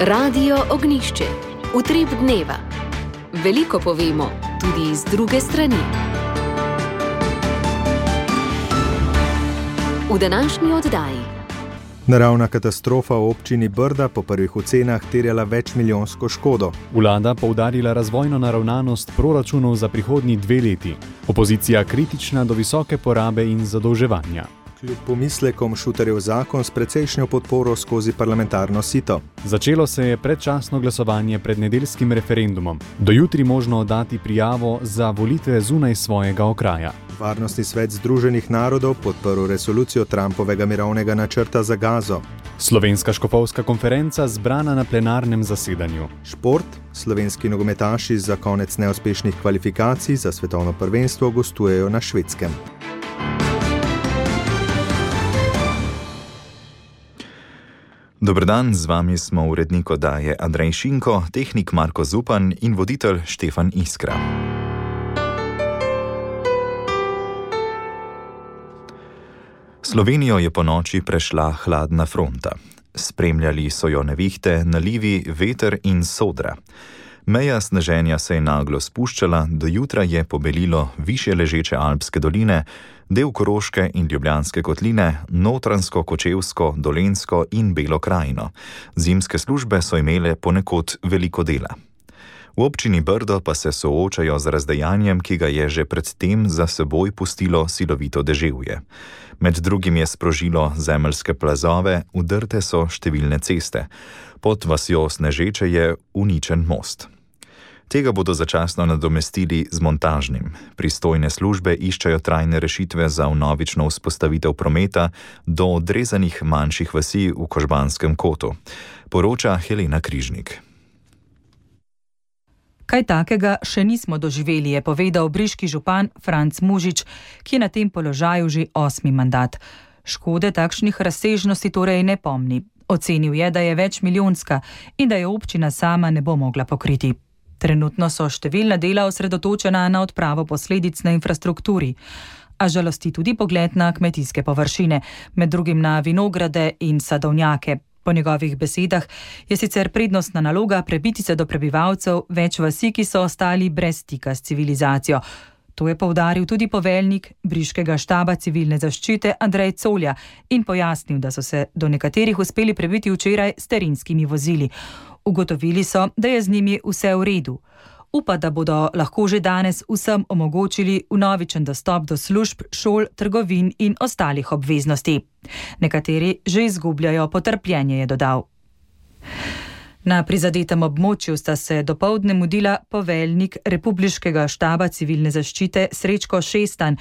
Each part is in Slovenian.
Radio Ognjišče. Utrip dneva. Veliko povemo, tudi iz druge strani. V današnji oddaji. Naravna katastrofa v občini Brda po prvih ocenah terjala večmilijonsko škodo. Vlada poudarila razvojno naravnanost proračunov za prihodnji 2 leti. Opozicija kritična do visoke porabe in zadolževanja. Kljub pomislekom Šuterjev zakon s precejšnjo podporo skozi parlamentarno sito. Začelo se je predčasno glasovanje pred nedeljskim referendumom. Do jutri možno oddati prijavo za volitve zunaj svojega okraja. Varnostni svet Združenih narodov podprl resolucijo Trumpovega mirovnega načrta za Gazo. Slovenska škofovska konferenca zbrana na plenarnem zasedanju. Šport. Slovenski nogometaši za konec neuspešnih kvalifikacij za svetovno prvenstvo gostujejo na Švedskem. Dober dan, z vami smo urednik oddaje Andrej Šinko, tehnik Marko Zupan in voditelj Štefan Iskra. Slovenijo je ponoči prešla hladna fronta. Spremljali so jo nevihte, nalivi, veter in sodra. Meja sneženja se je naglo spuščala, do jutra je pobelilo višje ležeče alpske doline, del Koroške in Ljubljanske kotline, Notranjsko, Kočevsko, Dolenjsko in Belo krajino. Zimske službe so imele ponekod veliko dela. V občini Brdo pa se soočajo z razdejanjem, ki ga je že predtem za seboj pustilo silovito deževje. Med drugim je sprožilo zemeljske plazove, udrte so številne ceste. Pod vasjo Snežeče je uničen most. Tega bodo začasno nadomestili z montažnim. Pristojne službe iščejo trajne rešitve za vnovično vzpostavitev prometa do odrezanih manjših vasi v Kožbanskem kotu. Poroča Helena Križnik. Kaj takega še nismo doživeli, je povedal briški župan Franc Mužič, ki je na tem položaju že 8. mandat. Škode takšnih razsežnosti torej ne pomni. Ocenil je, da je večmilijonska in da je občina sama ne bo mogla pokriti. Trenutno so številna dela osredotočena na odpravo posledic na infrastrukturi, a žalosti tudi pogled na kmetijske površine, med drugim na vinograde in sadovnjake. Po njegovih besedah je sicer prednostna naloga prebiti se do prebivalcev več vasi, ki so ostali brez stika s civilizacijo. To je poudaril tudi poveljnik briškega štaba civilne zaščite Andrej Colja in pojasnil, da so se do nekaterih uspeli prebiti včeraj s terenskimi vozili. Ugotovili so, da je z njimi vse v redu. Upa, da bodo lahko že danes vsem omogočili vnovičen dostop do služb, šol, trgovin in ostalih obveznosti. Nekateri že izgubljajo potrpljenje, je dodal. Na prizadetem območju sta se dopoldne mudila poveljnik Republiškega štaba civilne zaščite Srečko Šestan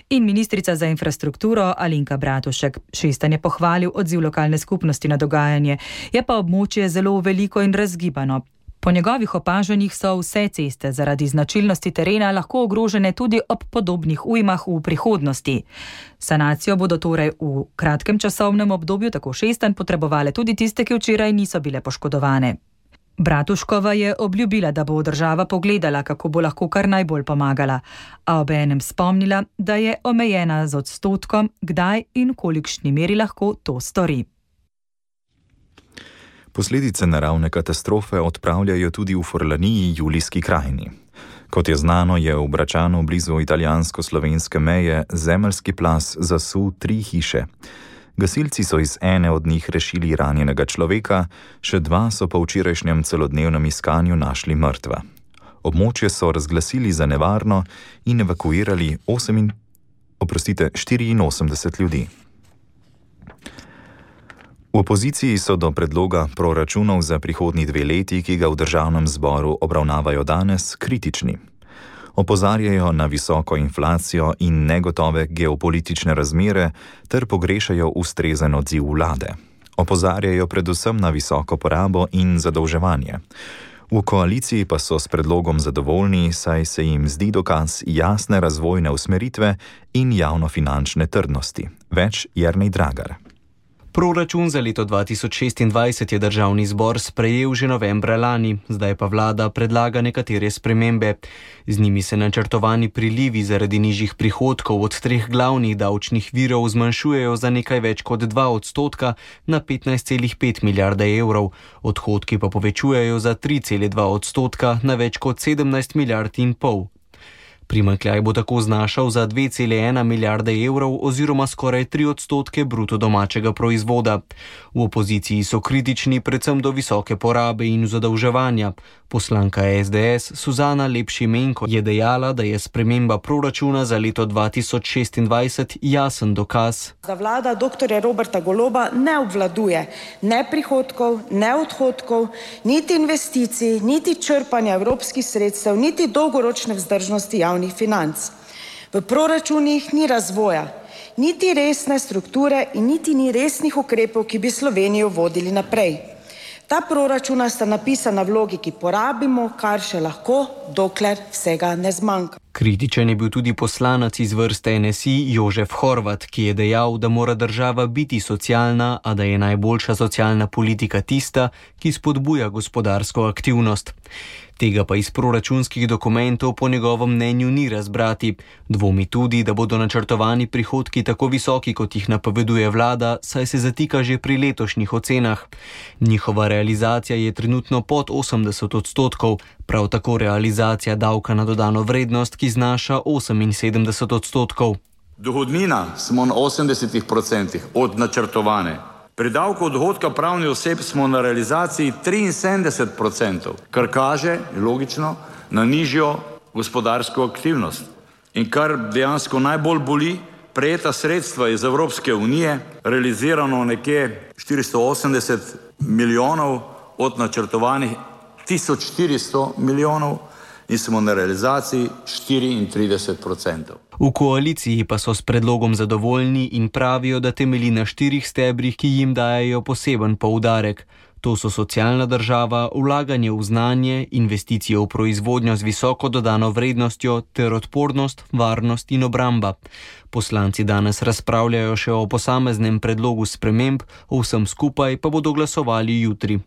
in ministrica za infrastrukturo Alenka Bratušek. Šestan je pohvalil odziv lokalne skupnosti na dogajanje, je pa območje zelo veliko in razgibano. Po njegovih opažanjih so vse ceste zaradi značilnosti terena lahko ogrožene tudi ob podobnih ujmah v prihodnosti. Sanacijo bodo torej v kratkem časovnem obdobju tako Šestan potrebovale tudi tiste, ki včeraj niso bile poškodovane. Bratuškova je obljubila, da bo država pogledala, kako bo lahko kar najbolj pomagala, a obenem spomnila, da je omejena z odstotkom, kdaj in v kolikšni meri lahko to stori. Posledice naravne katastrofe odpravljajo tudi v Forlaniji, Julijski krajini. Kot je znano, je v Bračanu blizu italijansko-slovenske meje zemeljski plaz zasul 3 hiše. Gasilci so iz ene od njih rešili ranjenega človeka, še 2 so po včerajšnjem celodnevnem iskanju našli mrtva. Območje so razglasili za nevarno in evakuirali 84 ljudi. V opoziciji so do predloga proračunov za prihodnji 2 leti, ki ga v državnem zboru obravnavajo danes, kritični. Opozarjajo na visoko inflacijo in negotove geopolitične razmere ter pogrešajo ustrezen odziv vlade. Opozarjajo predvsem na visoko porabo in zadolževanje. V koaliciji pa so s predlogom zadovoljni, saj se jim zdi dokaz jasne razvojne usmeritve in javnofinančne trdnosti. Več Jernej Dragar. Proračun za leto 2026 je državni zbor sprejel že novembra lani, zdaj pa vlada predlaga nekatere spremembe. Z njimi se načrtovani prilivi zaradi nižjih prihodkov od treh glavnih davčnih virov zmanjšujejo za nekaj več kot 2% na 15,5 milijarde evrov, odhodki pa povečujejo za 3,2% na več kot 17 milijard in pol. Primanjkljaj bo tako znašal za 2,1 milijarde evrov oziroma skoraj 3% bruto domačega proizvoda. V opoziciji so kritični predvsem do visoke porabe in zadolževanja. Poslanka SDS Suzana Lep-Šimenko je dejala, da je sprememba proračuna za leto 2026 jasen dokaz. Da vlada dr. Roberta Goloba ne obvladuje ne prihodkov, ne odhodkov, niti investicij, niti črpanja evropskih sredstev, niti dolgoročne vzdržnosti javnih financ. V proračunih ni razvoja, niti resne strukture in niti ni resnih ukrepov, ki bi Slovenijo vodili naprej. Ta proračuna sta napisana v logiki porabimo, kar še lahko, dokler vsega ne zmanjka. Kritičen je bil tudi poslanec iz vrste NSI Jožef Horvat, ki je dejal, da mora država biti socialna, a da je najboljša socialna politika tista, ki spodbuja gospodarsko aktivnost. Tega pa iz proračunskih dokumentov po njegovem mnenju ni razbrati. Dvomi tudi, da bodo načrtovani prihodki tako visoki, kot jih napoveduje vlada, saj se zatika že pri letošnjih ocenah. Njihova realizacija je trenutno pod 80%, prav tako realizacija davka na dodano vrednost, ki znaša 78%. Dohodnina smo na 80% od načrtovane. Pri davku od dohodka pravnih oseb smo na realizaciji 73%, kar kaže, logično, na nižjo gospodarsko aktivnost. In kar dejansko najbolj boli, prejeta sredstva iz Evropske unije, realizirano nekje 480 milijonov od načrtovanih 1400 milijonov in smo na realizaciji 34%. V koaliciji pa so s predlogom zadovoljni in pravijo, da temelji na 4 stebrih, ki jim dajejo poseben poudarek. To so socialna država, vlaganje v znanje, investicije v proizvodnjo z visoko dodano vrednostjo ter odpornost, varnost in obramba. Poslanci danes razpravljajo še o posameznem predlogu sprememb, o vsem skupaj pa bodo glasovali jutri.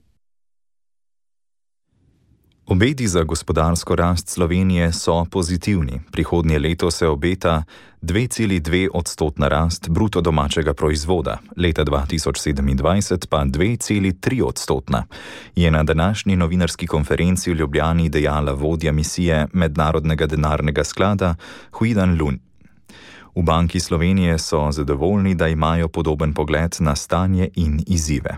Obeti za gospodarsko rast Slovenije so pozitivni. Prihodnje leto se obeta 2,2% rast bruto domačega proizvoda, leta 2027 pa 2,3%, je na današnji novinarski konferenci v Ljubljani dejala vodja misije Mednarodnega denarnega sklada Huidan Lun. V Banki Slovenije so zadovoljni, da imajo podoben pogled na stanje in izzive.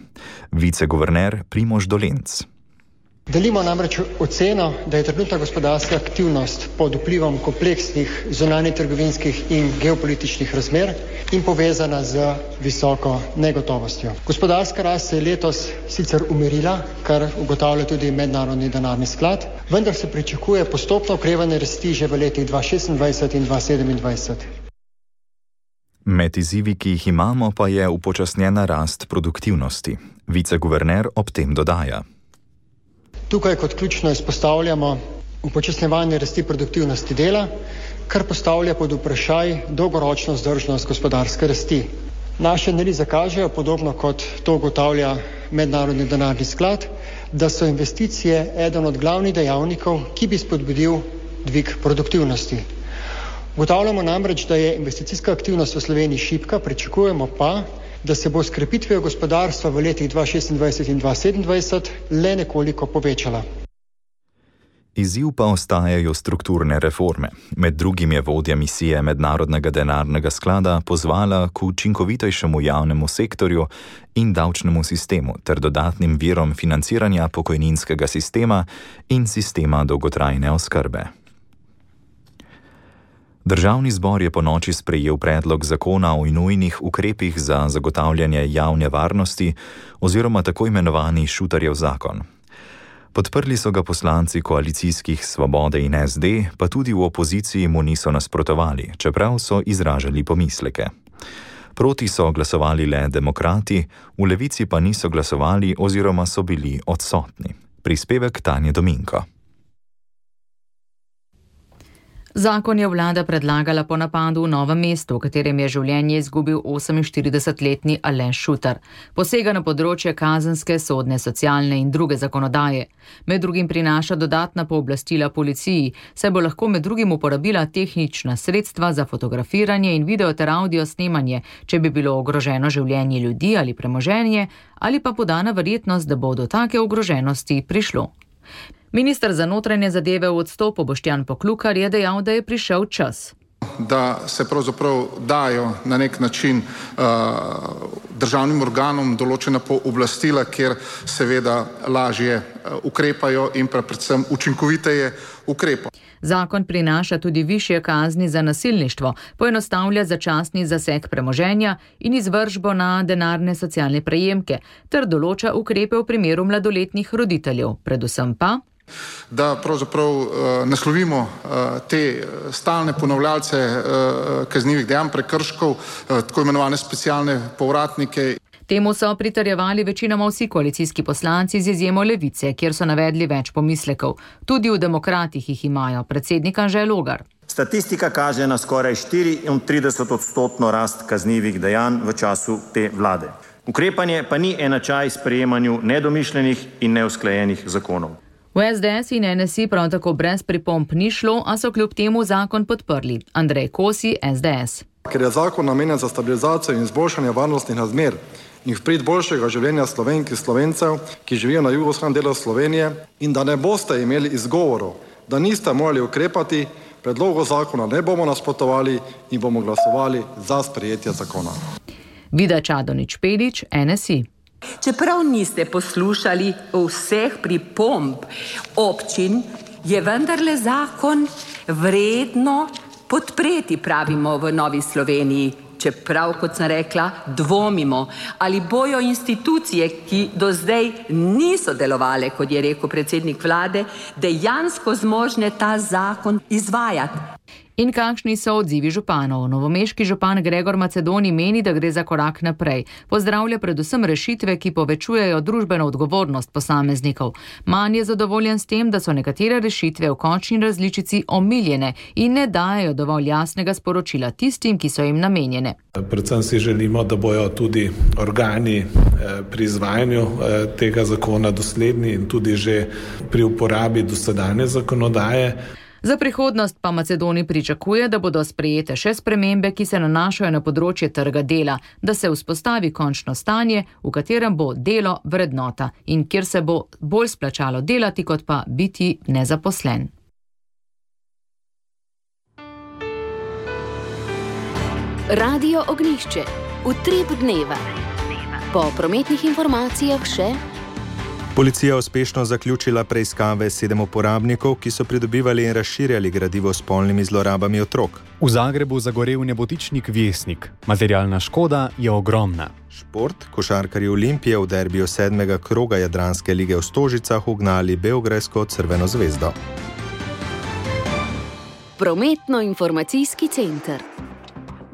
Viceguverner Primož Dolenc. Delimo namreč oceno, da je trenutna gospodarska aktivnost pod vplivom kompleksnih zunanjetrgovinskih in geopolitičnih razmer in povezana z visoko negotovostjo. Gospodarska rast se je letos sicer umirila, kar ugotavlja tudi Mednarodni denarni sklad, vendar se pričakuje postopno okrevanje rasti že v letih 2026 in 2027. Med izzivi, ki jih imamo, pa je upočasnjena rast produktivnosti. Viceguverner ob tem dodaja. Tukaj kot ključno izpostavljamo upočasnjevanje rasti produktivnosti dela, kar postavlja pod vprašaj dolgoročno vzdržnost gospodarske rasti. Naše analize kažejo, podobno kot to ugotavlja Mednarodni denarni sklad, da so investicije eden od glavnih dejavnikov, ki bi spodbudil dvig produktivnosti. Ugotavljamo namreč, da je investicijska aktivnost v Sloveniji šibka, pričakujemo pa, da se bo s krepitvijo gospodarstva v letih 2026 in 2027 le nekoliko povečala. Izziv pa ostajajo strukturne reforme. Med drugim je vodja misije Mednarodnega denarnega sklada pozvala k učinkovitejšemu javnemu sektorju in davčnemu sistemu ter dodatnim virom financiranja pokojninskega sistema in sistema dolgotrajne oskrbe. Državni zbor je ponoči sprejel predlog zakona o nujnih ukrepih za zagotavljanje javne varnosti oziroma tako imenovani Šutarjev zakon. Podprli so ga poslanci koalicijskih Svobode in SD, pa tudi v opoziciji mu niso nasprotovali, čeprav so izražali pomisleke. Proti so glasovali le demokrati, v Levici pa niso glasovali oziroma so bili odsotni. Prispevek Tanje Dominko. Zakon je vlada predlagala po napadu v Novem mestu, v katerem je življenje izgubil 48-letni Aleš Šutar. Posega na področje kazenske, sodne, socialne in druge zakonodaje. Med drugim prinaša dodatna pooblastila policiji, saj bo lahko med drugim uporabila tehnična sredstva za fotografiranje in video ter audio snemanje, če bi bilo ogroženo življenje ljudi ali premoženje, ali pa podana verjetnost, da bo do take ogroženosti prišlo. Minister za notranje zadeve v odstopu Boštjan Poklukar je dejal, da je prišel čas. Da se pravzaprav dajo na nek način državnim organom določena pooblastila, kjer seveda lažje ukrepajo in pa predvsem učinkoviteje ukrepajo. Zakon prinaša tudi višje kazni za nasilništvo, poenostavlja začasni zaseg premoženja in izvršbo na denarne socialne prejemke ter določa ukrepe v primeru mladoletnih roditeljev, predvsem pa da pravzaprav naslovimo te stalne ponavljalce kaznivih dejanj, prekrškov, tako imenovane specialne povratnike. Temu so pritrjevali večinoma vsi koalicijski poslanci z izjemo Levice, kjer so navedli več pomislekov. Tudi v Demokratih jih imajo, predsednik Anže Logar. Statistika kaže na skoraj 34% rast kaznivih dejanj v času te vlade. Ukrepanje pa ni enačaj sprejemanju nedomišljenih in neusklajenih zakonov. V SDS in NSI prav tako brez pripomb ni šlo, a so kljub temu zakon podprli. Andrej Kosi, SDS. Ker je zakon namenjen za stabilizacijo in izboljšanje varnostnih razmer in v prid boljšega življenja Slovenk in Slovencev, ki živijo na jugovzhodnem delu Slovenije, in da ne boste imeli izgovorov, da niste morali ukrepati, predlogu zakona ne bomo nasprotovali in bomo glasovali za sprejetje zakona. Vida Čadonič Pelič, NSI. Čeprav niste poslušali vseh pripomb občin, je vendarle zakon vredno podpreti, pravimo v Novi Sloveniji. Čeprav, kot sem rekla, dvomimo, ali bojo institucije, ki do zdaj niso delovale, kot je rekel predsednik vlade, dejansko zmožne ta zakon izvajati. In kakšni so odzivi županov? Novomeški župan Gregor Macedoni meni, da gre za korak naprej. Pozdravlja predvsem rešitve, ki povečujejo družbeno odgovornost posameznikov. Manj je zadovoljen s tem, da so nekatere rešitve v končni različici omiljene in ne dajejo dovolj jasnega sporočila tistim, ki so jim namenjene. Predvsem si želimo, da bojo tudi organi pri izvajanju tega zakona dosledni in tudi že pri uporabi dosedanje zakonodaje. Za prihodnost pa Macedoni pričakuje, da bodo sprejete še spremembe, ki se nanašajo na področje trga dela, da se vzpostavi končno stanje, v katerem bo delo vrednota in kjer se bo bolj splačalo delati, kot pa biti nezaposlen. Radio Ognjišče. Utrip dneva. Po prometnih informacijah še... Policija je uspešno zaključila preiskave 7 uporabnikov, ki so pridobivali in razširjali gradivo s spolnimi zlorabami otrok. V Zagrebu zagorel nebotičnik Vjesnik. Materialna škoda je ogromna. Šport. Košarkarji Olimpije v derbiju 7. kroga Jadranske lige v Stožicah ugnali beograjsko Crveno zvezdo. Prometno-informacijski center.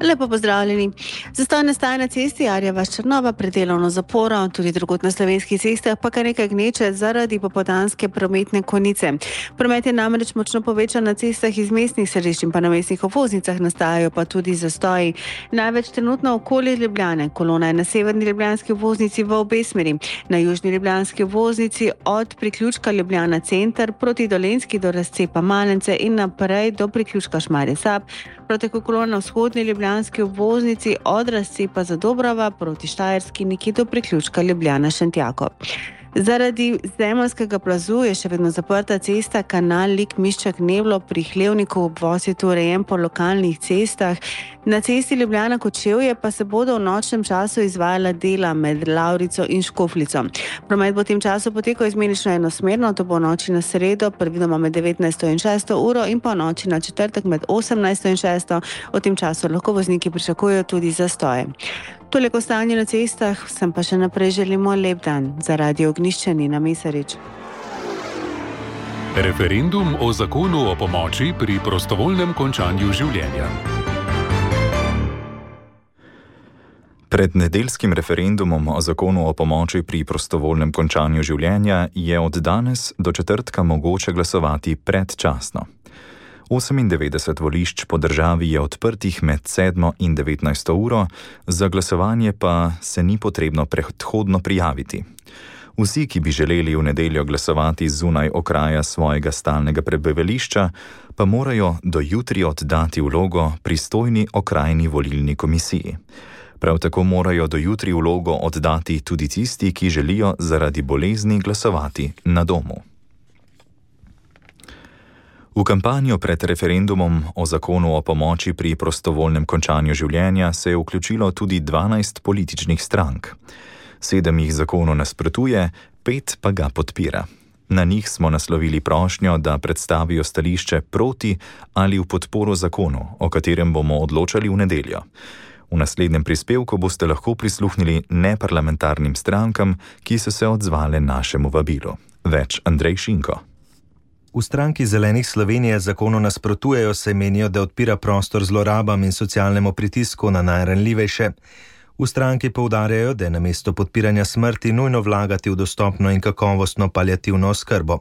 Lepo pozdravljeni. Zastoj nastaja na cesti Arja-Vas-Črnova pred delovno zaporo, tudi drugod na slovenskih cestah pa kar nekaj gneče zaradi popoldanske prometne konice. Promet je namreč močno povečan na cestah iz mestnih središč in pa na mestnih obvoznicah, nastajajo pa tudi zastoji. Največ trenutno okoli Ljubljane. Kolona je na severni ljubljanski obvoznici v obe smeri. Na južni ljubljanski obvoznici od priključka Ljubljana center proti Dolenjski do razcepa Malence in naprej do priključka Šmarje-Sab. Proti kolona vzhodni ljubljanski obvoznici od razcepa Zadobrava proti Štajerski nekje do priključka Ljubljana-Šentjako. Zaradi zemeljskega plazu je še vedno zaprta cesta kanal Lik-Miščak-Neblo pri Hlevniku, obvoz je tu urejen po lokalnih cestah. Na cesti Ljubljana-Kočevje pa se bodo v nočnem času izvajala dela med Lavrico in Škofljico. Promet bo v tem času potekal izmenično enosmerno, to bo v noči na sredo, predvidoma med 19. in 6. uro in pa v noči na četrtek med 18. in 6. V tem času lahko vozniki pričakujejo tudi zastoje. Toliko stanje na cestah, vsem pa še naprej želimo lep dan. Za Radio Ognjišče Nina Mesarič. Referendum o zakonu o pomoči pri prostovoljnem končanju življenja. Pred nedeljskim referendumom o zakonu o pomoči pri prostovoljnem končanju življenja je od danes do četrtka mogoče glasovati predčasno. 98 volišč po državi je odprtih med 7 in 19 uro, za glasovanje pa se ni potrebno predhodno prijaviti. Vsi, ki bi želeli v nedeljo glasovati zunaj okraja svojega stalnega prebivališča, pa morajo do jutri oddati vlogo pristojni okrajni volilni komisiji. Prav tako morajo do jutri vlogo oddati tudi tisti, ki želijo zaradi bolezni glasovati na domu. V kampanjo pred referendumom o zakonu o pomoči pri prostovoljnem končanju življenja se je vključilo tudi 12 političnih strank. 7 jih zakonu nasprotuje, 5 pa ga podpira. Na njih smo naslovili prošnjo, da predstavijo stališče proti ali v podporo zakonu, o katerem bomo odločali v nedeljo. V naslednjem prispevku boste lahko prisluhnili neparlamentarnim strankam, ki so se odzvale našemu vabilu. Več Andrej Šinko. V stranki Zelenih Slovenije zakonu nasprotujejo, saj menijo, da odpira prostor zlorabam in socialnemu pritisku na najranljivejše. V stranki poudarjajo, da je namesto podpiranja smrti nujno vlagati v dostopno in kakovostno paliativno oskrbo.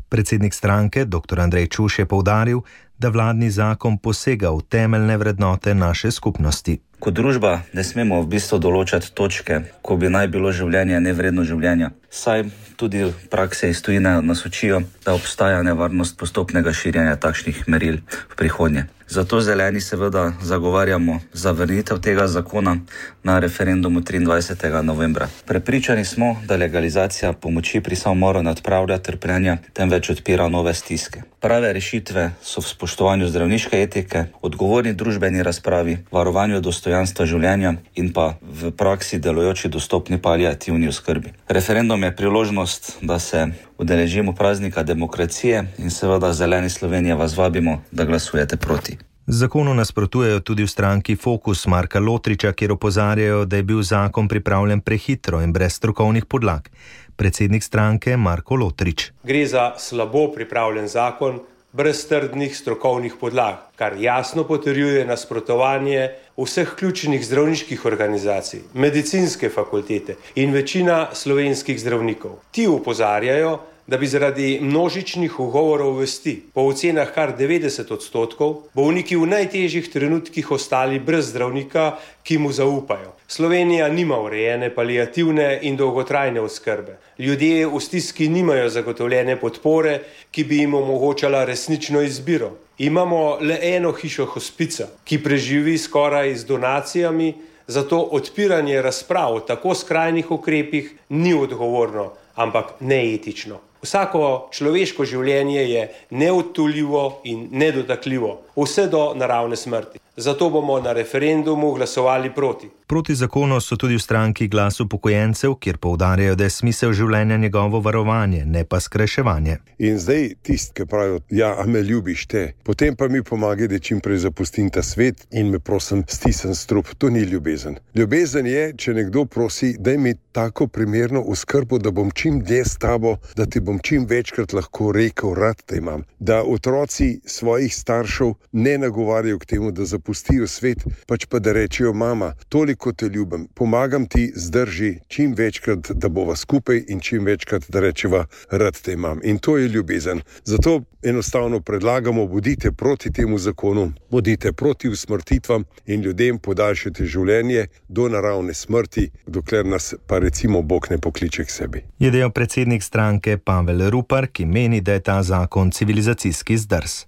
Predsednik stranke, dr. Andrej Čuš, je poudaril, da vladni zakon posega v temeljne vrednote naše skupnosti. Kot družba ne smemo v bistvu določati točke, ko bi naj bilo življenje nevredno življenja. Saj tudi v praksi iz tujine nas učijo, da obstaja nevarnost postopnega širjenja takšnih meril v prihodnje. Zato Zeleni seveda zagovarjamo zavrnitev tega zakona na referendumu 23. novembra. Prepričani smo, da legalizacija pomoči pri samomoru ne odpravlja trpljenja, temveč odpira nove stiske. Prave rešitve so v spoštovanju zdravniške etike, odgovorni družbeni razpravi, varovanju dostojanstva življenja in pa v praksi delujoči dostopni paliativni oskrbi. Referendum je priložnost, da se udeležimo praznika demokracije in seveda Zeleni Slovenije vas vabimo, da glasujete proti. Zakonu nasprotujejo tudi v stranki Fokus Marka Lotriča, kjer opozarjajo, da je bil zakon pripravljen prehitro in brez strokovnih podlag. Predsednik stranke Marko Lotrič. Gre za slabo pripravljen zakon, brez trdnih strokovnih podlag, kar jasno potrjuje nasprotovanje vseh ključnih zdravniških organizacij, medicinske fakultete in večina slovenskih zdravnikov. Ti opozarjajo, da bi zaradi množičnih ugovorov vesti, po ocenah kar 90%, bolniki v najtežjih trenutkih ostali brez zdravnika, ki mu zaupajo. Slovenija nima urejene paliativne in dolgotrajne oskrbe. Ljudje v stiski nimajo zagotovljene podpore, ki bi jim omogočala resnično izbiro. Imamo le eno hišo hospica, ki preživi skoraj z donacijami, zato odpiranje razprav o tako skrajnih ukrepih ni odgovorno, ampak neetično. Vsako človeško življenje je neodtuljivo in nedotakljivo, vse do naravne smrti. Zato bomo na referendumu glasovali proti. Proti zakonu so tudi v stranki Glas upokojencev, kjer poudarjajo, da je smisel življenja njegovo varovanje, ne pa skrajševanje. In zdaj tisti, ki pravijo, ja, a me ljubiš te, potem pa mi pomagaj, da čim prej zapustim ta svet in me prosim stisnem strup. To ni ljubezen. Ljubezen je, če nekdo prosi, daj mi tako primerno oskrbo, da bom čim dlje s tabo, da ti bom čim večkrat lahko rekel, rad te imam. Da otroci svojih staršev ne nagovarjajo k temu, da zapustijo svet, pač pa da rečejo, mama, toliko te ljubim, pomagam ti, zdrži čim večkrat, da bova skupaj in čim večkrat, da rečeva, rad te imam. In to je ljubezen. Zato enostavno predlagamo, bodite proti temu zakonu, bodite proti usmrtitvam in ljudem podaljšajte življenje do naravne smrti, dokler nas pa recimo Bog ne pokliče k sebi. Je dejal predsednik stranke Pavel Rupar, ki meni, da je ta zakon civilizacijski zdrs.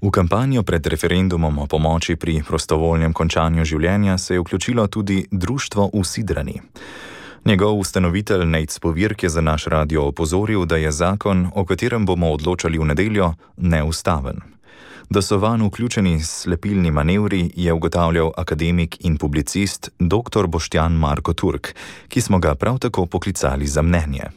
V kampanjo pred referendumom o pomoči pri prostovoljnem končanju življenja se je vključilo tudi društvo v Sidrani. Njegov ustanovitelj Nejc Povirk je za naš radio opozoril, da je zakon, o katerem bomo odločali v nedeljo, neustaven. Da so vanj vključeni slepilni manevri, je ugotavljal akademik in publicist dr. Boštjan Marko Turk, ki smo ga prav tako poklicali za mnenje.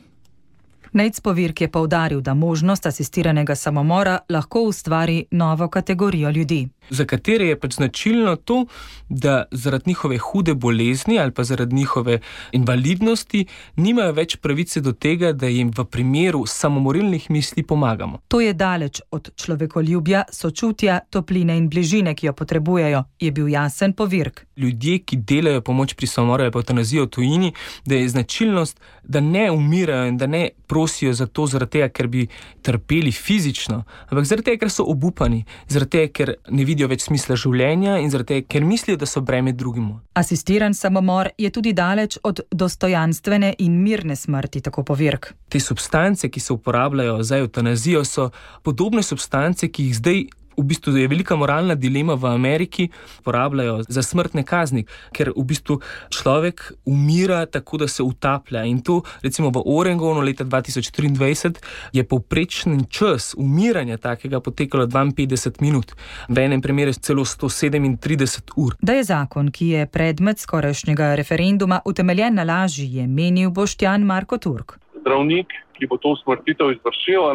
Nejc Povirk je poudaril, da možnost asistiranega samomora lahko ustvari novo kategorijo ljudi. za katere je pač značilno to, da zaradi njihove hude bolezni ali pa zaradi njihove invalidnosti nimajo več pravice do tega, da jim v primeru samomorilnih misli pomagamo. To je daleč od človekoljubja, sočutja, topline in bližine, ki jo potrebujejo, je bil jasen Povirk. Ljudje, ki delajo pomoč pri samomoru ali pa evtanazijo v tujini, da je značilnost, da ne umirajo in da ne prosijo za to zaradi tega, ker bi trpeli fizično, ampak zaradi tega, ker so obupani, zaradi tega, ker ne vidijo več smisla življenja in zaradi tega, ker mislijo, da so breme drugemu. Asistiran samomor je tudi daleč od dostojanstvene in mirne smrti, tako Povirk. Te substance, ki se uporabljajo za evtanazijo, so podobne substance, ki jih zdaj v bistvu je velika moralna dilema v Ameriki, uporabljajo za smrtne kazni, ker v bistvu človek umira tako, da se utaplja. In to, recimo v Oregonu leta 2023, je povprečen čas umiranja takega potekalo 52 minut. V enem primeru celo 137 ur. Da je zakon, ki je predmet skorajšnjega referenduma, utemeljen na laži, je menil Boštjan Marko Turk. Zdravnik, ki bo to usmrtitev izvršil,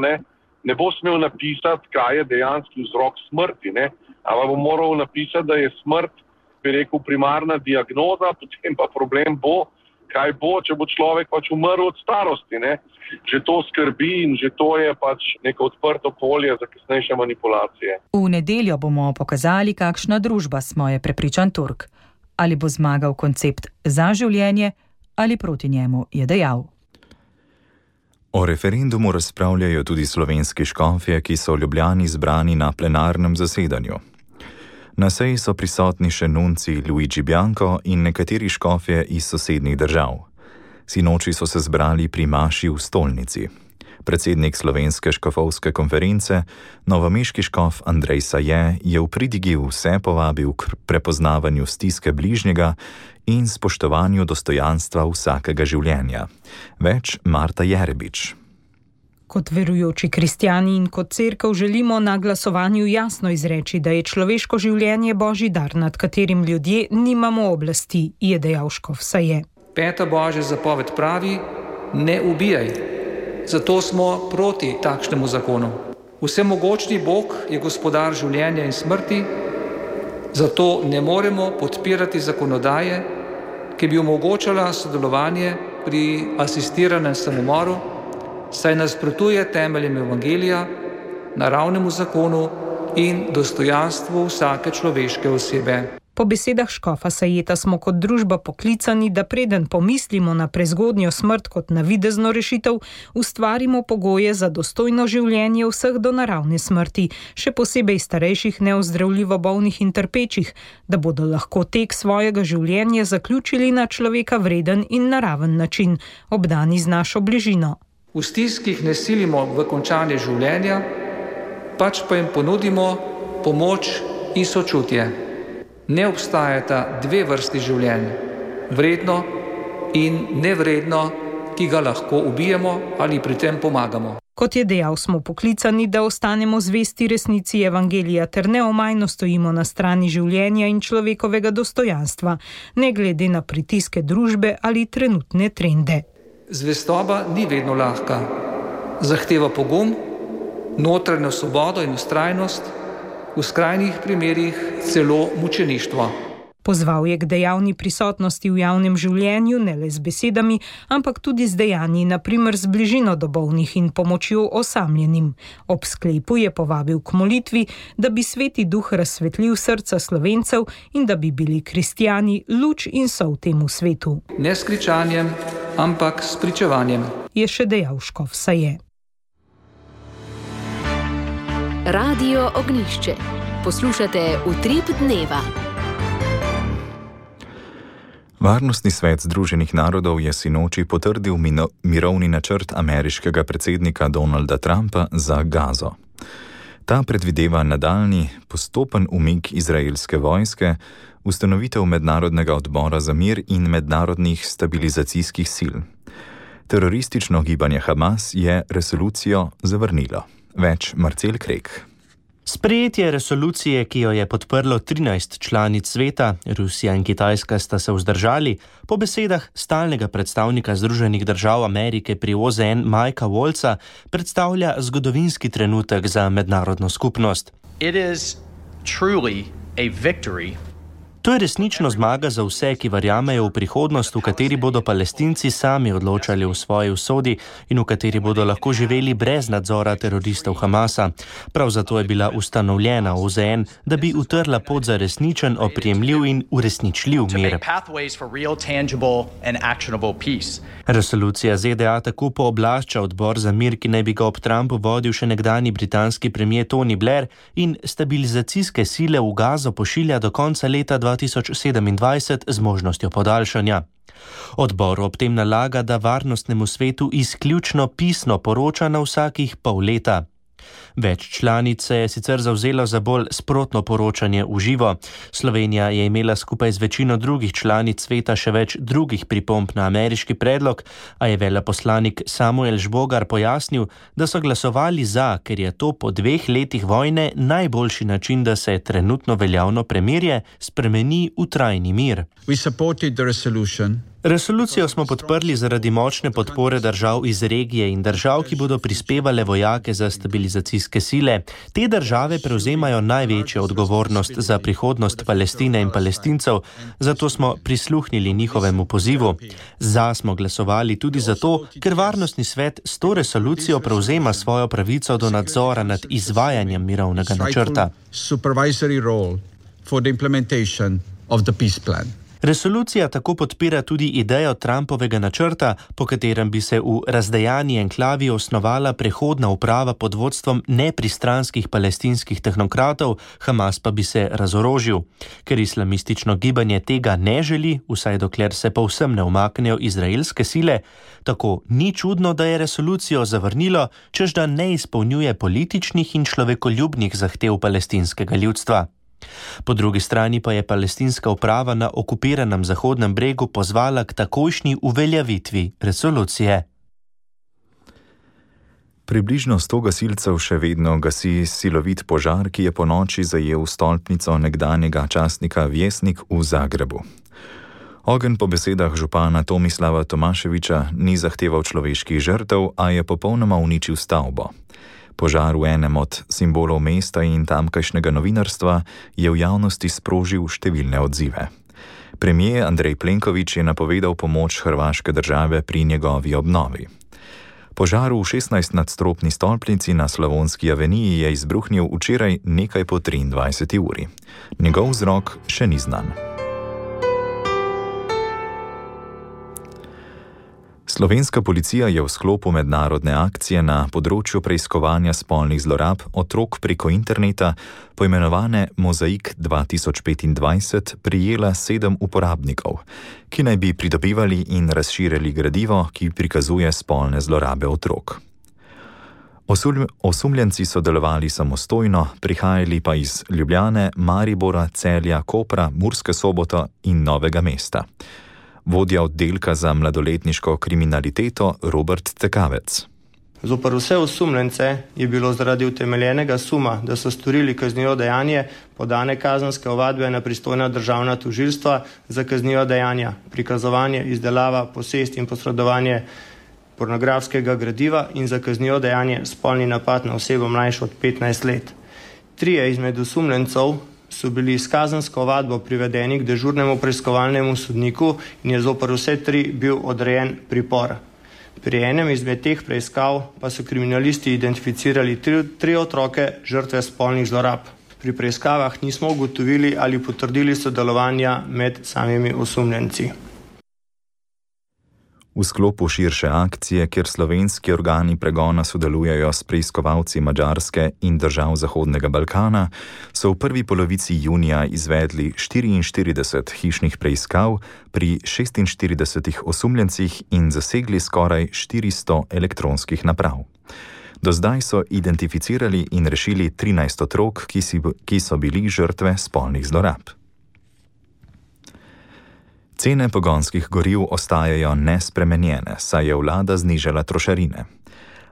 ne bo smel napisati, kaj je dejanski vzrok smrti, ampak bo moral napisati, da je smrt, bi rekel, primarna diagnoza, potem pa problem bo, kaj bo, če bo človek pač umrl od starosti. Že to skrbi in že to je pač neko odprto polje za kasnejše manipulacije. V nedeljo bomo pokazali, kakšna družba smo, je prepričan Turk. Ali bo zmagal koncept za življenje ali proti njemu, je dejal. O referendumu razpravljajo tudi slovenski škofje, ki so v Ljubljani zbrani na plenarnem zasedanju. Na seji so prisotni še nunci Luigi Bianco in nekateri škofje iz sosednjih držav. Sinoči so se zbrali pri maši v stolnici. Predsednik Slovenske škofovske konference, novomeški škof Andrej Saje, je v pridigi vse povabil k prepoznavanju stiske bližnjega in spoštovanju dostojanstva vsakega življenja. Več Marta Jerebič. Kot verujoči kristjani in kot cerkev želimo na glasovanju jasno izreči, da je človeško življenje božji dar, nad katerim ljudje nimamo oblasti, je dejal škof Saje. 5. božja zapoved pravi: ne ubijaj. Zato smo proti takšnemu zakonu. Vsemogočni Bog je gospodar življenja in smrti, zato ne moremo podpirati zakonodaje, ki bi omogočala sodelovanje pri asistiranem samomoru, saj nasprotuje temeljem evangelija, naravnemu zakonu in dostojanstvu vsake človeške osebe. Po besedah škofa Sajeta smo kot družba poklicani, da preden pomislimo na prezgodnjo smrt kot navidezno rešitev, ustvarimo pogoje za dostojno življenje vseh do naravne smrti, še posebej starejših, neozdravljivo bolnih in trpečih, da bodo lahko tek svojega življenja zaključili na človeka vreden in naraven način, obdani z našo bližino. V stiskih ne silimo v končanje življenja, pač pa jim ponudimo pomoč in sočutje. Ne obstajata dve vrsti življenj, vredno in nevredno, ki ga lahko ubijemo ali pri tem pomagamo. Kot je dejal, smo poklicani, da ostanemo zvesti resnici evangelija ter neomajno stojimo na strani življenja in človekovega dostojanstva, ne glede na pritiske družbe ali trenutne trende. Zvestoba ni vedno lahka. Zahteva pogum, notranjo svobodo in vztrajnost, v skrajnih primerih celo mučeništvo. Pozval je k dejavni prisotnosti v javnem življenju, ne le z besedami, ampak tudi z dejanji, na primer z bližino do bolnih in pomočjo osamljenim. Ob sklepu je povabil k molitvi, da bi Sveti Duh razsvetlil srca Slovencev in da bi bili kristjani luč in sol temu svetu. Ne s kričanjem, ampak s pričevanjem, je še dejal škof Saje. Radio Ognjišče. Poslušate Utrip dneva. Varnostni svet Združenih narodov je sinoči potrdil mirovni načrt ameriškega predsednika Donalda Trumpa za Gazo. Ta predvideva nadaljnji postopen umik izraelske vojske, ustanovitev mednarodnega odbora za mir in mednarodnih stabilizacijskih sil. Teroristično gibanje Hamas je resolucijo zavrnilo. Več Marcel Krek. Sprejetje resolucije, ki jo je podprlo 13 članic sveta, Rusija in Kitajska sta se vzdržali, po besedah stalnega predstavnika Združenih držav Amerike pri OZN Mikea Waltza, predstavlja zgodovinski trenutek za mednarodno skupnost. It is truly a victory. To je resnično zmaga za vse, ki verjamejo v prihodnost, v kateri bodo Palestinci sami odločali o svoji usodi in v kateri bodo lahko živeli brez nadzora teroristov Hamasa. Prav zato je bila ustanovljena OZN, da bi utrla pot za resničen, oprijemljiv in uresničljiv mir. Resolucija ZDA tako pooblašča odbor za mir, ki naj bi ga ob Trumpu vodil še nekdanji britanski premier Tony Blair, in stabilizacijske sile v Gazo pošilja do konca leta 2027 z možnostjo podaljšanja. Odbor ob tem nalaga, da varnostnemu svetu izključno pisno poroča na vsakih pol leta. Več članic se je sicer zavzelo za bolj sprotno poročanje v živo. Slovenija je imela skupaj z večino drugih članic sveta še več drugih pripomb na ameriški predlog, a je veleposlanik Samuel Žbogar pojasnil, da so glasovali za, ker je to po 2 letih vojne najboljši način, da se trenutno veljavno premirje spremeni v trajni mir. Resolucijo smo podprli zaradi močne podpore držav iz regije in držav, ki bodo prispevale vojake za stabilizacijske sile. Te države prevzemajo največjo odgovornost za prihodnost Palestine in Palestincev, zato smo prisluhnili njihovemu pozivu. Za smo glasovali tudi zato, ker Varnostni svet s to resolucijo prevzema svojo pravico do nadzora nad izvajanjem mirovnega načrta. Resolucija tako podpira tudi idejo Trumpovega načrta, po katerem bi se v razdejani enklavi osnovala prehodna uprava pod vodstvom nepristranskih palestinskih tehnokratov, Hamas pa bi se razorožil. Ker islamistično gibanje tega ne želi, vsaj dokler se povsem ne umaknejo izraelske sile, tako ni čudno, da je resolucijo zavrnilo, čež da ne izpolnjuje političnih in človekoljubnih zahtev palestinskega ljudstva. Po drugi strani pa je palestinska uprava na okupiranem Zahodnem bregu pozvala k takojšnji uveljavitvi resolucije. Približno 100 gasilcev še vedno gasi silovit požar, ki je ponoči zajel stolpnico nekdanjega častnika Vjesnik v Zagrebu. Ogenj po besedah župana Tomislava Tomaševiča ni zahteval človeških žrtev, a je popolnoma uničil stavbo. Požar v enem od simbolov mesta in tamkajšnjega novinarstva je v javnosti sprožil številne odzive. Premier Andrej Plenković je napovedal pomoč hrvaške države pri njegovi obnovi. Požar v 16-nadstropni stolpnici na Slavonski aveniji je izbruhnil včeraj nekaj po 23. uri. Njegov vzrok še ni znan. Slovenska policija je v sklopu mednarodne akcije na področju preiskovanja spolnih zlorab otrok preko interneta, poimenovane Mozaik 2025, prijela 7 uporabnikov, ki naj bi pridobivali in razširjali gradivo, ki prikazuje spolne zlorabe otrok. Osumljenci so delovali samostojno, prihajali pa iz Ljubljane, Maribora, Celja, Kopra, Murske Sobote in Novega mesta. Vodja oddelka za mladoletniško kriminaliteto Robert Tekavec. Zoper vse osumljence je bilo zaradi utemeljenega suma, da so storili kaznivo dejanje, podane kazenske ovadbe na pristojna državna tožilstva za kazniva dejanja, prikazovanje, izdelava, posest in posredovanje pornografskega gradiva in za kaznivo dejanje spolni napad na osebo mlajšo od 15 let. 3 izmed osumljencev so bili s kazensko ovadbo privedeni k dežurnemu preiskovalnemu sodniku in je zoper vse 3 bil odrejen pripor. Pri enem izmed teh preiskav pa so kriminalisti identificirali 3 otroke žrtve spolnih zlorab. Pri preiskavah nismo ugotovili ali potrdili sodelovanja med samimi osumljenci. V sklopu širše akcije, kjer slovenski organi pregona sodelujejo s preiskovalci Madžarske in držav Zahodnega Balkana, so v prvi polovici junija izvedli 44 hišnih preiskav pri 46 osumljencih in zasegli skoraj 400 elektronskih naprav. Do zdaj so identificirali in rešili 13 otrok, ki so bili žrtve spolnih zlorab. Cene pogonskih goriv ostajajo nespremenjene, saj je vlada znižala trošarine.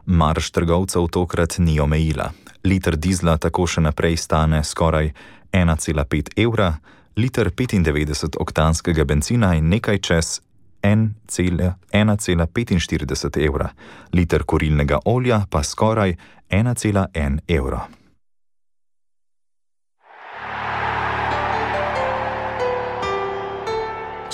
Marž trgovcev tokrat ni omejila. Liter dizla tako še naprej stane skoraj 1,5 evra, liter 95-oktanskega bencina in nekaj čez 1,45 evra, liter kurilnega olja pa skoraj 1,1 evra.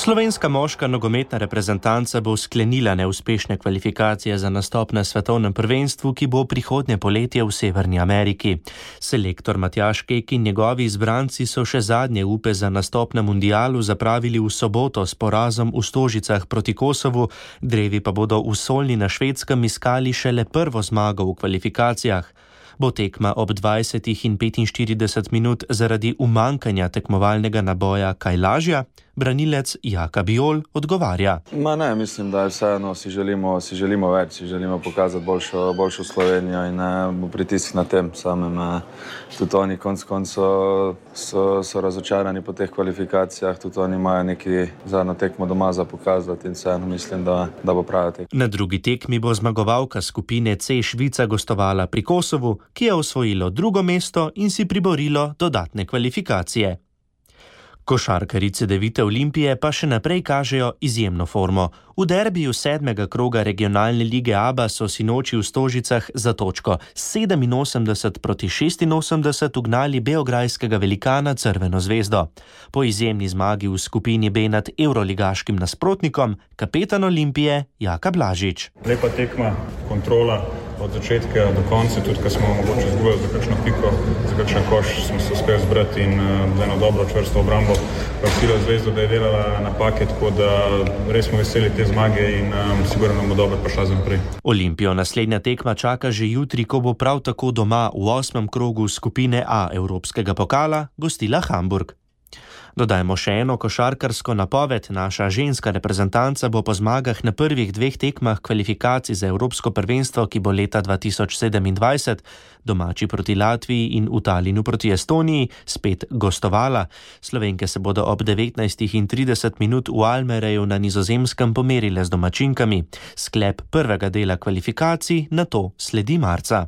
Slovenska moška nogometna reprezentanca bo sklenila neuspešne kvalifikacije za nastop na svetovnem prvenstvu, ki bo prihodnje poletje v Severni Ameriki. Selektor Matjaž Kek in njegovi izbranci so še zadnje upe za nastop na mundialu zapravili v soboto s porazom v Stožicah proti Kosovu, drevi pa bodo v Solni na Švedskem iskali šele prvo zmago v kvalifikacijah. Bo tekma ob 20 in 45 minut zaradi umankanja tekmovalnega naboja kaj lažja? Branilec Jaka Bijol odgovarja. Mislim, da je vseeno, si želimo več, si želimo pokazati boljšo Slovenijo in bo pritisk na tem samem. Tudi oni konc so razočarani po teh kvalifikacijah, tudi oni imajo neki zadnjo tekmo doma za pokazati in vseeno mislim, da bo prava tekma. Na drugi tekmi bo zmagovalka skupine C Švica gostovala pri Kosovu, ki je osvojilo drugo mesto in si priborilo dodatne kvalifikacije. Košarkarice Devite Olimpije pa še naprej kažejo izjemno formo. V derbiju 7. kroga regionalne lige ABA so sinoči v Stožicah za točko 87 proti 86 ugnali beograjskega velikana Crveno zvezdo. Po izjemni zmagi v skupini B nad evroligaškim nasprotnikom, kapetan Olimpije Jaka Blažič. Lepa tekma, kontrola od začetka do konca, tudi ko smo mogoče izgubili za kakšno piko, za kakšen koš, smo se uspeli zbrati in za eno dobro čvrsto obrambo prosila zvezdo, da je delala napake, tako da res smo veseli te zmage in sigurno nam bo dobro prišla za naprej. Olimpijo naslednja tekma čaka že jutri, ko bo prav tako doma v 8. krogu skupine A Evropskega pokala gostila Hamburg. Dodajmo še eno košarkarsko napoved. Naša ženska reprezentanca bo po zmagah na prvih 2 tekmah kvalifikacij za Evropsko prvenstvo, ki bo leta 2027, domači proti Latviji in v Talinu proti Estoniji, spet gostovala. Slovenke se bodo ob 19:30 minut v Almereju na Nizozemskem pomerile z domačinkami. Sklep prvega dela kvalifikacij nato sledi marca.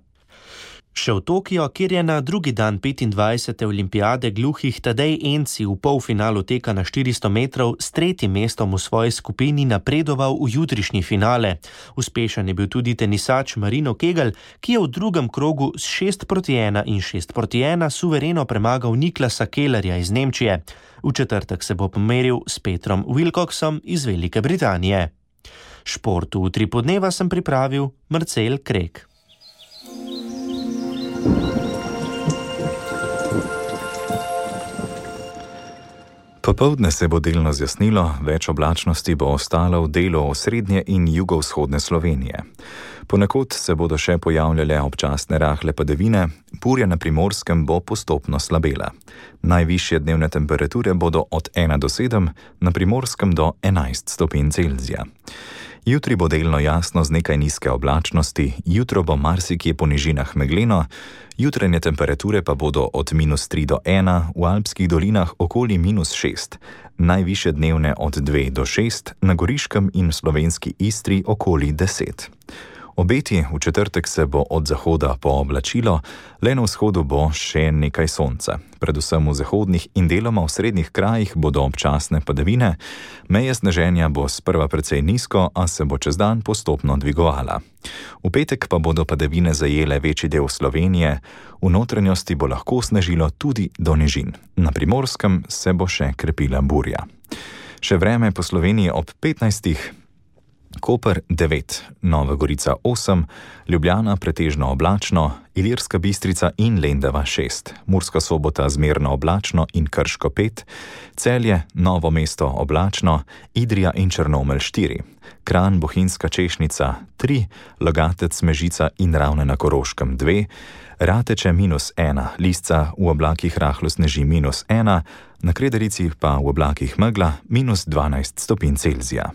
Še v Tokio, kjer je na drugi dan 25. olimpijade gluhih Tadej Enci v polfinalu teka na 400 metrov s 3. mestom v svoji skupini napredoval v jutrišnji finale. Uspešen je bil tudi tenisač Marino Kegel, ki je v drugem krogu s 6:1 in 6:1 suvereno premagal Niklasa Kellerja iz Nemčije. V četrtek se bo pomeril s Petrom Wilcoxom iz Velike Britanije. Športu v Tripodneva sem pripravil Marcel Krek. Popoldne se bo delno zjasnilo, več oblačnosti bo ostalo v delu osrednje in jugovzhodne Slovenije. Ponekod se bodo še pojavljale občasne rahle padavine, burja na Primorskem bo postopno slabela. Najvišje dnevne temperature bodo od 1 do 7, na Primorskem do 11 stopinj Celzija. Jutri bo delno jasno z nekaj nizke oblačnosti, jutro bo marsikje po nižinah megleno, jutranje temperature pa bodo od -3 do 1, v alpskih dolinah okoli -6, najvišje dnevne od 2 do 6, na Goriškem in slovenski Istri okoli 10. Obeti v četrtek se bo od zahoda pooblačilo, le na vzhodu bo še nekaj sonca. Predvsem v zahodnih in deloma v srednjih krajih bodo občasne padavine, meja sneženja bo sprva precej nizko, a se bo čez dan postopno dvigovala. V petek pa bodo padavine zajele večji del Slovenije, v notranjosti bo lahko snežilo tudi do nižin. Na Primorskem se bo še krepila burja. Še vreme po Sloveniji ob 15. Koper 9, Nova Gorica 8, Ljubljana pretežno oblačno, Ilirska Bistrica in Lendava 6, Murska Sobota zmerno oblačno in Krško 5, Celje, Novo mesto oblačno, Idrija in Črnomelj 4, Kranj, Bohinjska Češnica 3, Logatec, Mežica in Ravne na Koroškem 2, Rateče -1, Lisca v oblakih rahlo sneži -1, na Krederici pa v oblakih megla -12 stopinj Celzija.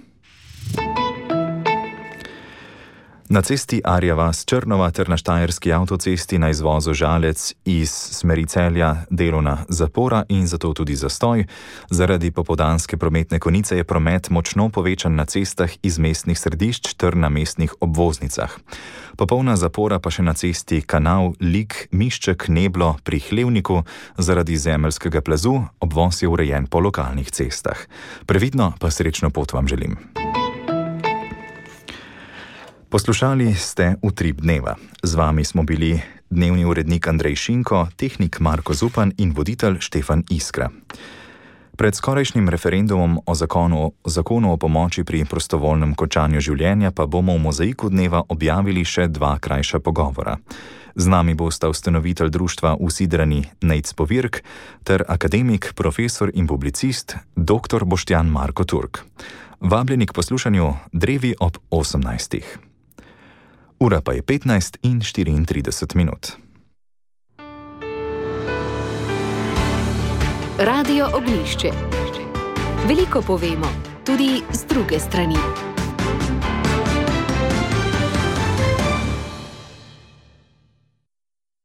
Na cesti Arja vas Črnova ter na štajerski avtocesti na izvozu Žalec iz smeri Celja delovna zapora in zato tudi zastoj. Zaradi popoldanske prometne konice je promet močno povečan na cestah iz mestnih središč ter na mestnih obvoznicah. Popolna zapora pa še na cesti Kanal Lik Mišček Neblo pri Hlevniku zaradi zemeljskega plazu, obvoz je urejen po lokalnih cestah. Previdno pa srečno pot vam želim. Poslušali ste Utrip dneva. Z vami smo bili dnevni urednik Andrej Šinko, tehnik Marko Zupan in voditelj Štefan Iskra. Pred skorajšnjim referendumom o zakonu o pomoči pri prostovoljnem končanju življenja pa bomo v mozaiku dneva objavili še 2 krajša pogovora. Z nami bosta ustanovitelj društva Usidrani Nejc Povirk ter akademik, profesor in publicist dr. Boštjan Marko Turk. Vabljeni k poslušanju Drevi ob 18. Ura pa je 15:34. Radio Oglišče. Veliko povemo, tudi z druge strani.